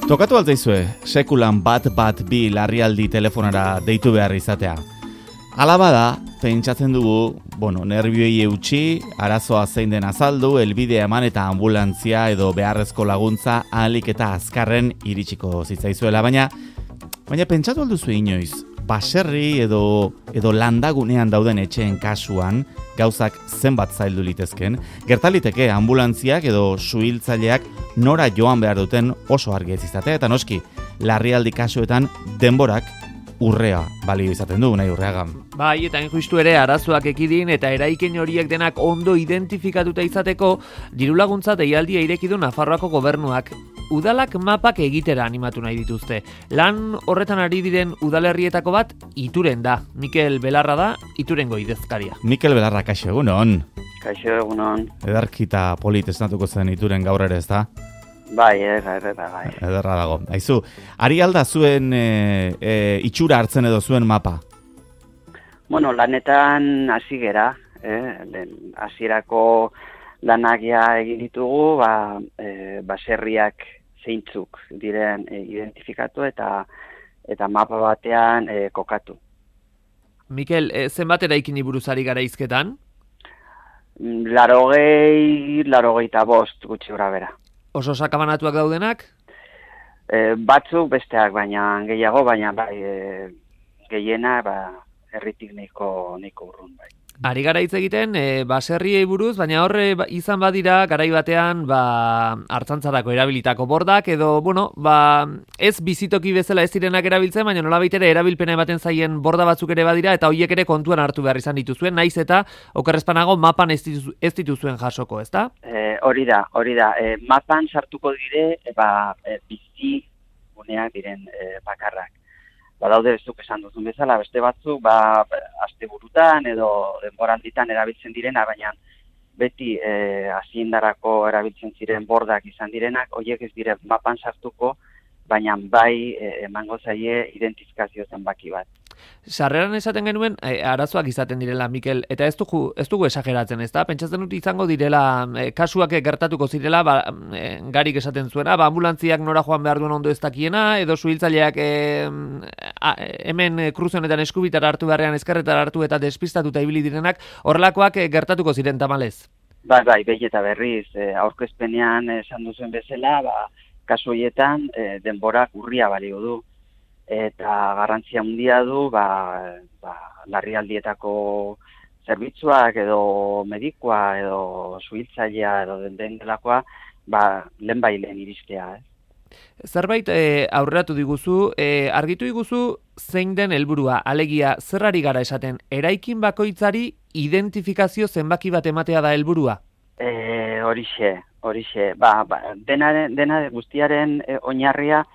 Tokatu altzaizue, sekulan bat bi larrialdi telefonara deitu behar izatea. Hala bada, pentsatzen dugu, nerbioi eutxi, arazoa zein den azaldu, helbidea eman eta ambulantzia edo beharrezko laguntza ahalik eta azkarren iritsiko zitzaizuela, baina pentsatu alduzu inoiz, baserri edo landagunean dauden etxeen kasuan, gauzak zenbat zaildu litezken, gertaliteke ambulantziak edo suhiltzaileak nora joan behar duten oso argi ez izatea, eta noski, larrialdi kasuetan denborak urrea balio izaten du, nahi urreagan. Bai, eta justu ere arazoak ekidin eta eraikin horiek denak ondo identifikatuta izateko dirulaguntza deialdia ireki du Nafarroako gobernuak. Udalak mapak egitera animatu nahi dituzte. Lan horretan ari diren udalerrietako bat Ituren da. Mikel Belarra da, Iturengo idazkaria. Mikel Belarra, kaixo egunon. Kaixo egunon. Edarkita polit esnatuko zen Ituren gaur ere, ez da? Bai, bai. Ederra dago. Aizu, ari alda zuen itxura hartzen edo zuen mapa? Lanetan hasi gera, hasierako lanak egin ditugu, baserriak zeintzuk diren identifikatu eta mapa batean kokatu. Mikel, zenbat eraikin buruz ari gara hizketan? 85 gutxi gora bera. Oso sakabanatuak daudenak? Batzuk besteak, baina gehiago, baina gehiena herritik nahiko urrun bai. Ari gara hitz egiten baserriei buruz, baina horre izan badira garai batean hartzantzarako erabilitako bordak edo ez bizitoki bezala ez direnak erabiltzen, baina nolabait ere erabilpena ematen zaien borda batzuk ere badira eta horiek ere kontuan hartu behar izan dituzuen, naiz eta okerrezpanago mapan ez dituzuen jasoko, ezta? Hori da. Mapan sartuko dire bizi guneak diren bakarrak. Badaude zuk esan duzun bezala, beste batzuk asteburutan edo denboralditan erabiltzen direna, baina beti hasiendarako erabiltzen ziren bordak izan direnak, horiek ez dire mapan sartuko, baina bai emango zaie identifikazio zenbaki bat. Sarreran esaten genuen arazoak izaten direla, Mikel, eta ez dugu esageratzen, ezta? Pentsatzen dut izango direla, kasuak gertatuko zirela, garik esaten zuena, ambulantziak nora joan behar duen ondo ez dakiena, edo suhiltzaileak hemen kruzonetan eskubitara hartu beharrean ezkerretara hartu eta despistatuta ibili direnak, horrelakoak gertatuko ziren tamalez? Bai, behi eta berriz, aurkezpenean esan duzuen bezala, kasu horietan denborak urria balio du. Eta garrantzia handia du larrialdietako zerbitzuak edo medikoa edo suhiltzailea edo den delakoa lehenbailen iristea. Zerbait aurreratu diguzu, argitu diguzu zein den helburua, alegia zerrari gara esaten, eraikin bakoitzari identifikazio zenbaki bat ematea da helburua? Horixe. Dena guztiaren oinarria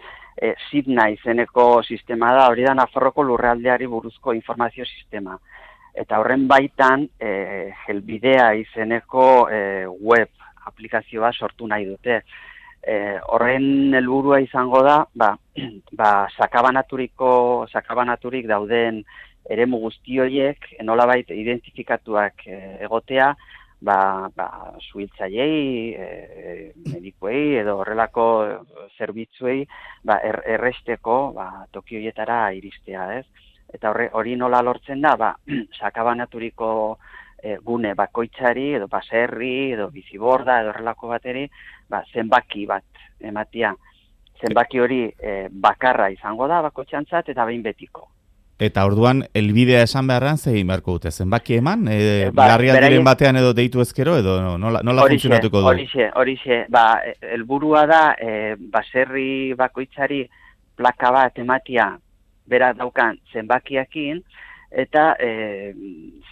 Sidna izeneko sistema da, hori da Nafarroko lurraldeari buruzko informazio sistema. Eta horren baitan, helbidea izeneko web aplikazioa sortu nahi dute. Horren helburua izango da, sakabanaturik dauden eremu guzti horiek, nolabait identifikatuak egotea, suhiltzaileei, medikuei edo horrelako zerbitzuei erresteko toki horietara iristea, ez? Eta hori nola lortzen da, sakabanaturiko gune bakoitzari edo baserri edo biziborda edo horrelako bateri zenbaki bat ematia. Zenbaki hori bakarra izango da bakoitzantzat eta behin betiko. Eta orduan, helbidea esan beharran zein beharko dute? Zenbaki eman? Larrialdiren batean edo deitu ezkero edo nola funtzionatuko du? Horixe. Helburua da, baserri bakoitzari plaka bat ematia bera daukan zenbakiakin, eta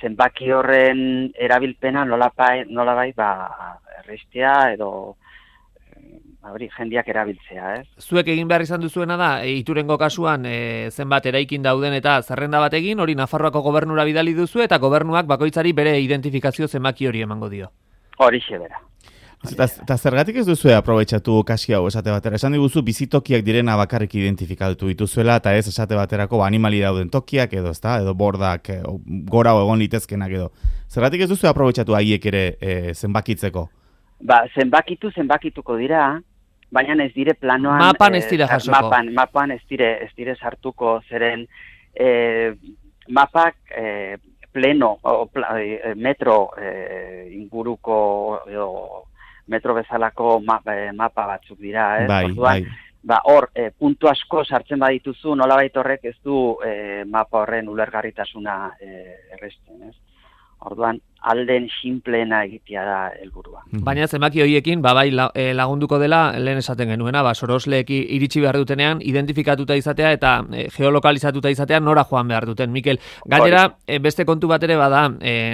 zenbaki horren erabilpena nolabait errestea edo jendiak erabiltzea, ez? Zuek egin behar izan duzuena da, Iturengo kasuan zenbat eraikin dauden eta zerrenda bat egin, hori Nafarroako gobernura bidali duzu eta gobernuak bakoitzari bere identifikazio zenbaki hori emango dio. Horixe bera. Eta zergatik ez duzu aprobetxatu kasi hau esate batera? Esan diguzu bizitokiak direna bakarrik identifikatu dituzuela eta ez esate baterako animali dauden tokiak edo, ezta? Edo bordak gora egon litezkenak edo. Zergatik ez duzu aprobetxatu haiek ere zenbakitzeko? Zenbakituko dira, baina ez dire planoan... Mapan ez dira jasoko. Mapan ez dire sartuko, zeren mapak pleno, metro inguruko, metro bezalako mapa batzuk dira, Bai, orduan, hor, puntu asko sartzen badituzu, nolabait horrek ez du mapa horren ulergarritasuna erresten, ez? Orduan, alden sinpleena egitea da helburua. Baina zenbaki horiekin, bai lagunduko dela, lehen esaten genuena, sorosleek iritsi behar dutenean, identifikatuta izatea eta geolokalizatuta izatea nora joan behar duten. Mikel, gainera, beste kontu bat ere bada,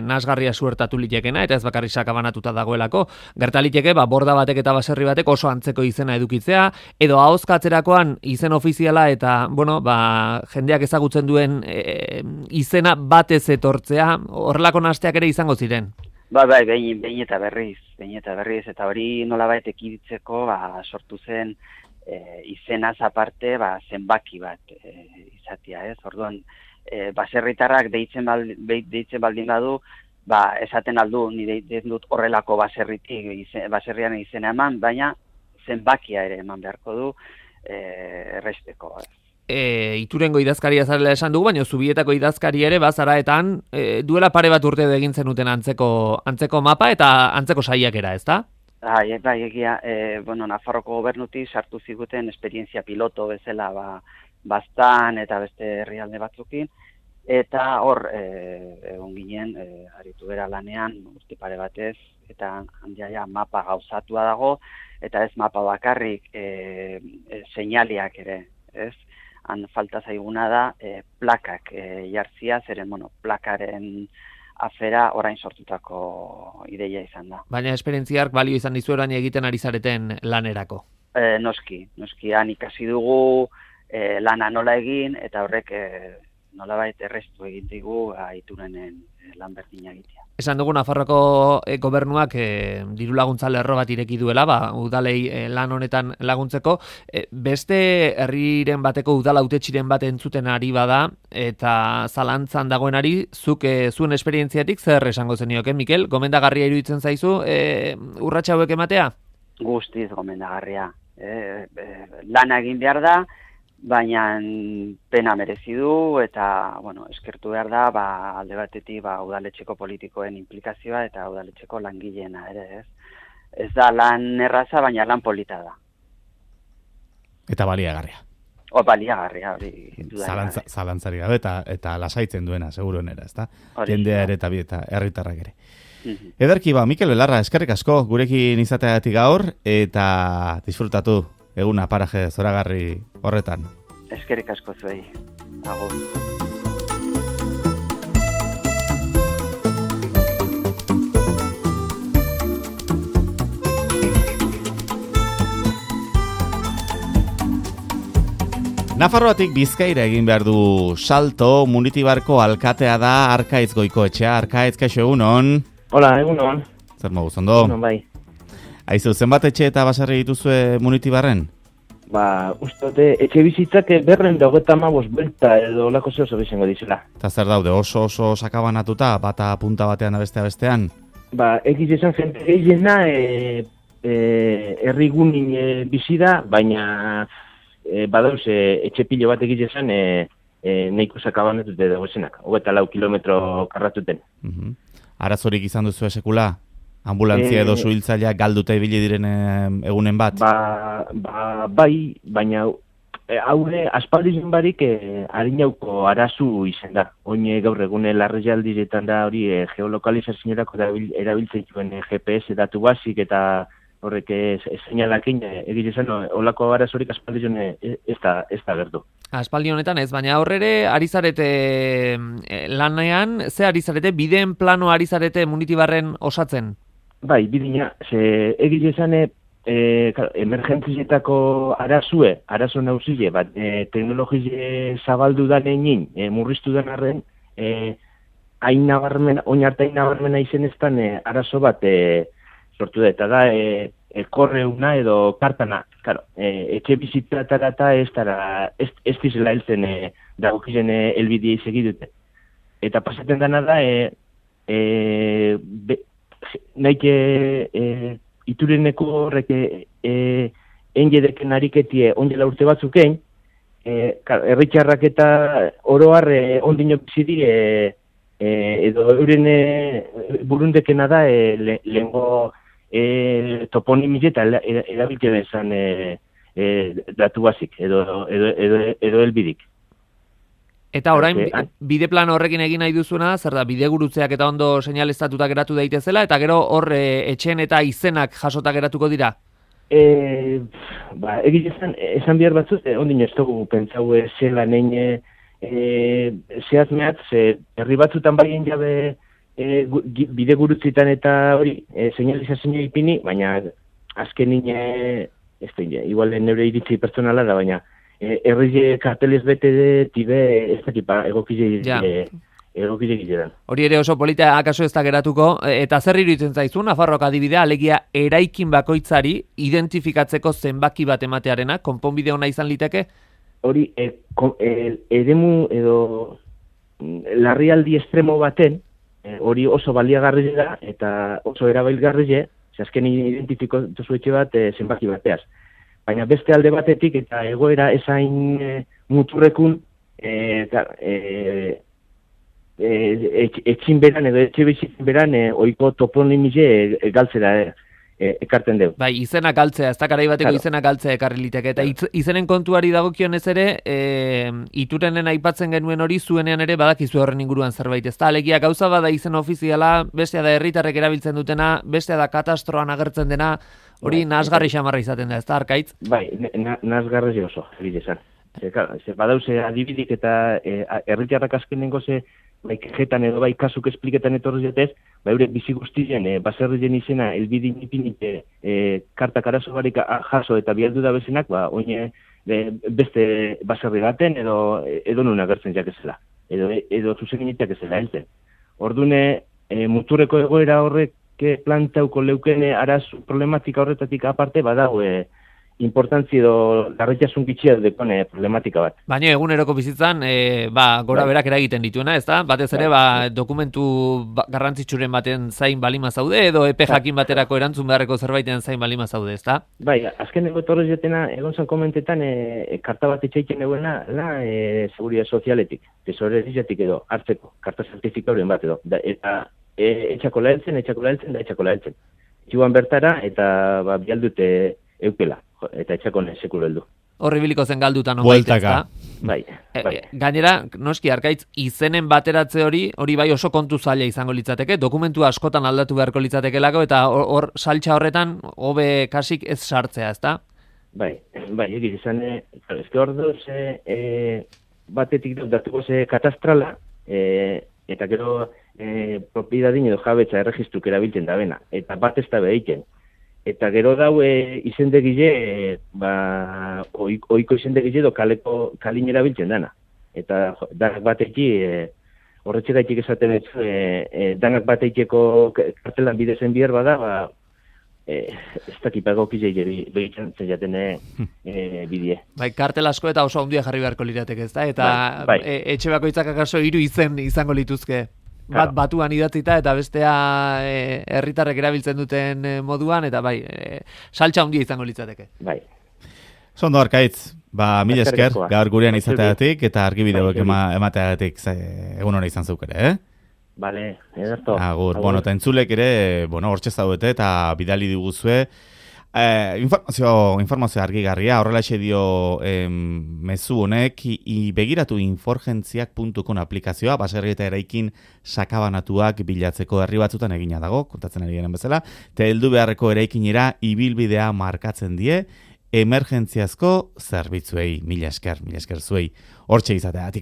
nasgarria suertatu litekena, eta ez bakarri sakabanatuta dagoelako, gertaliteke, borda batek eta baserri batek oso antzeko izena edukitzea, edo ahozkatzerakoan izen ofiziala eta, jendeak ezagutzen duen izena batez etortzea, horrelako nasteak ere izango ziren. Behin eta berriz, eta hori nolabait ekiditzeko sortu zen izenaz aparte zenbaki bat izatea, ez? Orduan, baserritarrak deitzen baldin badu, esaten aldu, nire dut horrelako baserrian izena eman, baina zenbakia ere eman beharko du erresteko. Iturengo idazkaria zarela esan dugu, baina Zubietako idazkari ere bazaraetan duela pare bat urte egin zenuten antzeko mapa eta antzeko saiakera, ezta? Egia, Nafarroko gobernutik sartu ziguten esperientzia piloto bezala Baztan eta beste herrialde batzukin, eta hor egon ginen, aritu bera lanean, urte pare batez, eta handia mapa gauzatua dago, eta ez mapa bakarrik seinaliak ere, ez? Han falta zaiguna da plakak jartzia, zeren plakaren afera orain sortutako ideia izan da. Baina esperientziark balio izan dizu orain egiten ari zareten lanerako? Noski, han ikasi dugu lana nola egin, eta horrek nolabait errestu egin digu iturenen lan berdina egitea. Esan dugu Nafarroko gobernuak diru laguntza lerro bat ireki duela, udalei lan honetan laguntzeko. Beste herriren bateko udala hautetsiren bat entzuten ari bada, eta zalantzan dagoenari, zuk zuen esperientziatik zer esango zenioke, Mikel? Gomendagarria iruditzen zaizu urrats hauek ematea? Guztiz gomendagarria. Lana egin behar da, baina pena merezi du, eta eskertu behar da alde batetik udaletxeko politikoen implikazioa eta udaletxeko langileena ere, ez? Ez da lan erraza, baina lan polita da. Eta baliagarria. Baliagarria, hori. Zalantzari gabe eta lasaitzen duena, seguruenera, ezta? Jendea ere eta herritarrak ere. Ederki Mikel Belarra, eskerrik asko gurekin izateagatik gaur, eta disfrutatu eguna paraje zoragarri horretan. Eskerrik asko zuei. Agur. Nafarroatik Bizkaira egin behar du salto, Munitibarko alkatea da Arkaitz Goikoetxea. Arkaitz, kaixo egunon? Hola, egunon. Zer moduz, ondo? Egunon, bai. Aizu, zenbat etxe eta baserri dituzue Munitibarren? Uste etxe bizitzak berren da 35 buelta edo lako zeo izango dizela. Eta zer daude, oso sakabanatuta, bata punta batean da bestean? Egiz esan jente gehiena herrigunin bizi da, baina badauz etxe pilo bat egiz esan nahiko sakabanatute dago esenak, 24 kilometro karratuten. Arazorik izan duzu esekula? Ambulantzia edo suhiltzailea galduta ibili diren egunen bat? Bai, baina haure aspaldizun barik harinauko arazu izan da. Oine gaur egune larrialdiretan da hori geolokalizazionerako erabiltzen zuen GPS datu basik eta horrek seinalakin egite zen olako arazorik aspaldizun ez da gertu. Aspaldi honetan ez, baina aurrere ari zarete lanean, ze ari zarete, bideen plano ari zarete Munitibarren osatzen? Bai, bidina, egile esan emergentzietako arazo nauzile, teknologie zabaldu da nenin, murriztu den arren, oinartain nabarmena izeneztan arazo bat sortu da, eta da korreuna edo kartana. Claro, etxe bizitzatara eta ez dizela heltzen dagokizen elbidea izegidute. Eta pasaten dena da, nahik itureneko horrek enjedeken ariketie ondela urte batzukein, herritxarrak eta oroar ondino bizidi edo euren burundekena da lehengo toponimize eta erabilke bezan datu bazik edo helbidik. Eta orain, bide plan horrekin egin nahi duzuna, zer da, bide gurutzeak eta ondo seinaleztatuta geratu daitezela, eta gero hor etxeen eta izenak jasota geratuko dira? Egin esan behar batzuz, ondino ez dugu pentsau zela nein zehaz mehatz, herri batzutan baien jabe bide gurutzitan eta hori, seinalizazio ipini, baina azken nine, igual neure iritzi pertsonala da, baina herri kartelez bete tibe ez dakipa egokile gileran. Hori ere oso polita akaso ez da geratuko, eta zer iruditzen zaizu, Nafarroak adibidea, alegia eraikin bakoitzari identifikatzeko zenbaki bat ematearena, konponbide ona izan liteke? Hori, eremu edo larrialdi estremo baten, hori oso baliagarri da eta oso erabilgarri, azken identifikatu zuetxe bat zenbaki bateaz. Baina beste alde batetik eta egoera esain muturrekun etxin beran edo etxe bizitzen beran oiko toponimize galtzera ekarten dugu. Bai, izenak galtzea, ez da garai bateko izenak galtzea ekarri liteke. Eta izenen kontuari dagokionez ere, iturenen aipatzen genuen hori zuenean ere badakizu horren inguruan zerbait. Ez da, alegia gauza bada izen ofiziala, bestea da herritarrek erabiltzen dutena, bestea da katastroan agertzen dena, hori nasgarri xamarra izaten da, ez da, Arkaitz? Bai, nasgarri oso, egitezan. Badauze adibidik eta herritarrak azkenengo bai kejetan edo bai kasuk espliketan etorri jetez, bai eurek bizi guztien baserrien izena elbidin ipinit kartak arazo barik jaso eta bialdu da bezenak, oine beste baserri baten edo nun agertzen jakezela, edo zuzeginitak ezela helten. Ordune muturreko egoera horrek plantauko leukene arazu problematika horretatik aparte badago importantzi edo larritasun gitxia dekone problematika bat. Baina eguneroko bizitzan, gora berak eragiten dituena, ez da? Batez ere, dokumentu garrantzitsuren baten zain balima zaude, edo epe jakin baterako erantzun beharreko zerbaiten zain balima zaude, ez da? Bai, azkeneko etorrez jetena, egon zan komentetan, karta bat etxaiken eguena, seguridad sozialetik, tesorerizatik edo, hartzeko, karta zertifikauren bat edo, eta etxako laheltzen, da etxako laheltzen. Txuan bertara, eta bialdute eukela, eta etxakone sekulu heldu. Horri biliko zen galdutan onbait, ez da? Bai. Gainera, noski, Arkaitz, izenen bateratze hori bai oso kontu zaila izango litzateke, dokumentu askotan aldatu beharko litzatekelako, eta hor saltxa horretan, hobe kasik ez sartzea, ez da? Bai, egin izan, ezke hor doz, batetik datuko katastrala, eta gero propiedadin edo jabetza erregistruk erabiltzen da bena, eta bat ez da behiten. Eta gero dau izendegile, oiko izendegile edo kalin erabiltzen dana. Eta danak bateki, horretxe gaitik esaten ez, danak batekiko kartelan bidezen bihar bada, ez dakipagok izai behitzen jaten bidie. Bai, kartel asko eta oso handia jarri beharko lirateke, ez da? Eta etxe bakoitzak akaso 3 izen izango lituzke. Bat batuan idatzita eta bestea herritarrek erabiltzen duten moduan, eta bai, saltxa handia izango litzateke. Bai. Zondo, Arkaitz, mila esker, gaur gurean izateagatik eta argibideoek emateagatik egun hona izan zeuk ere, Bale, ederto. Agur, eta entzulek ere, hortxe zaudete eta bidali diguzue, informazio argigarria, horrelaxe dio mezu honek, begiratu inforgentziak.com aplikazioa, baserri eta eraikin sakabanatuak bilatzeko herri batzutan egina dago, kontatzen ari garen bezala, eta heldu beharreko eraikinera ibilbidea markatzen die, emergentziazko zerbitzuei, mila esker zuei, hortxe izateagatik.